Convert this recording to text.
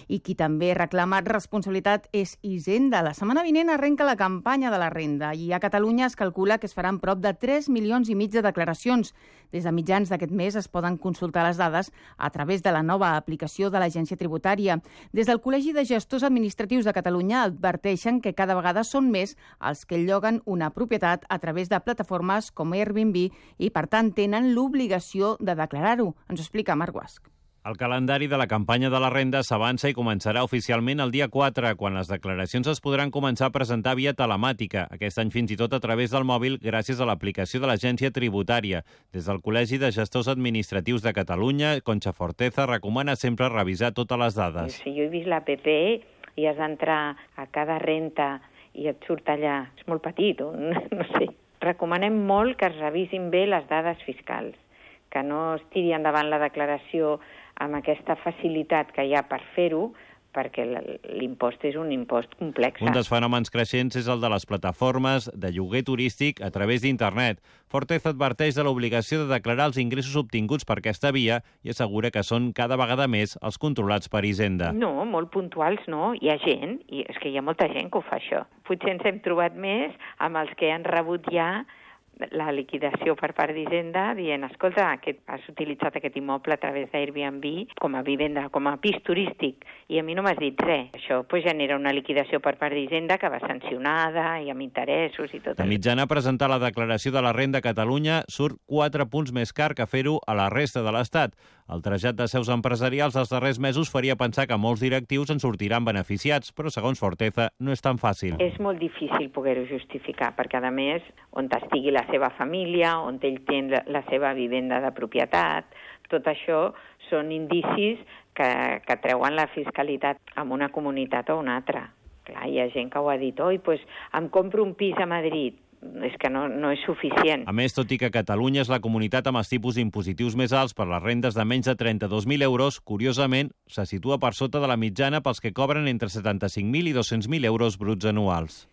I qui també reclama responsabilitat és Hisenda. La setmana vinent arrenca la campanya de la renda i a Catalunya es calcula que es faran prop de 3,5 milions de declaracions. Des de mitjans d'aquest mes es poden consultar les dades a través de la nova aplicació de l'Agència Tributària. Des del Col·legi de Gestors Administratius de Catalunya adverteixen que cada vegada són més els que lloguen una propietat a través de plataformes com Airbnb i, per tant, tenen l'obligació de declarar-ho. Ens ho explica Marc Guasch. El calendari de la campanya de la renda s'avança i començarà oficialment el dia 4, quan les declaracions es podran començar a presentar via telemàtica, aquest any fins i tot a través del mòbil gràcies a l'aplicació de l'Agència Tributària. Des del Col·legi de Gestors Administratius de Catalunya, Concha Forteza recomana sempre revisar totes les dades. Si jo he vist l'APP i has d'entrar a cada renta i et surt allà, és molt petit, no sé. Recomanem molt que es revisin bé les dades fiscals, que no es tiri endavant la declaració amb aquesta facilitat que hi ha per fer-ho, perquè l'impost és un impost complex. Un dels fenòmens creixents és el de les plataformes de lloguer turístic a través d'internet. Forteza adverteix de l'obligació de declarar els ingressos obtinguts per aquesta via i assegura que són cada vegada més els controlats per Hisenda. No, molt puntuals no. Hi ha gent, i és que hi ha molta gent que ho fa això. Potser ens hem trobat més amb els que han rebut ja la liquidació per part d'Hisenda dient, escolta, has utilitzat aquest immoble a través d'Airbnb com a vivenda, com a pis turístic, i a mi no m'has dit res. Això genera una liquidació per part d'Hisenda que va sancionada i amb interessos i tot. De mitjana, presentar la declaració de la renda a Catalunya surt 4 punts més car que fer-ho a la resta de l'Estat. El trasllat de seus empresarials els darrers mesos faria pensar que molts directius en sortiran beneficiats, però segons Forteza no és tan fàcil. És molt difícil poder-ho justificar, perquè a més, on estigui la seva família, on ell té la seva vivenda de propietat, tot això són indicis que treuen la fiscalitat en una comunitat o una altra. Clar, hi ha gent que ho ha dit, em compro un pis a Madrid. És que no és suficient. A més, tot i que Catalunya és la comunitat amb els tipus impositius més alts per les rendes de menys de 32.000 euros, curiosament, se situa per sota de la mitjana pels que cobren entre 75.000 i 200.000 euros bruts anuals.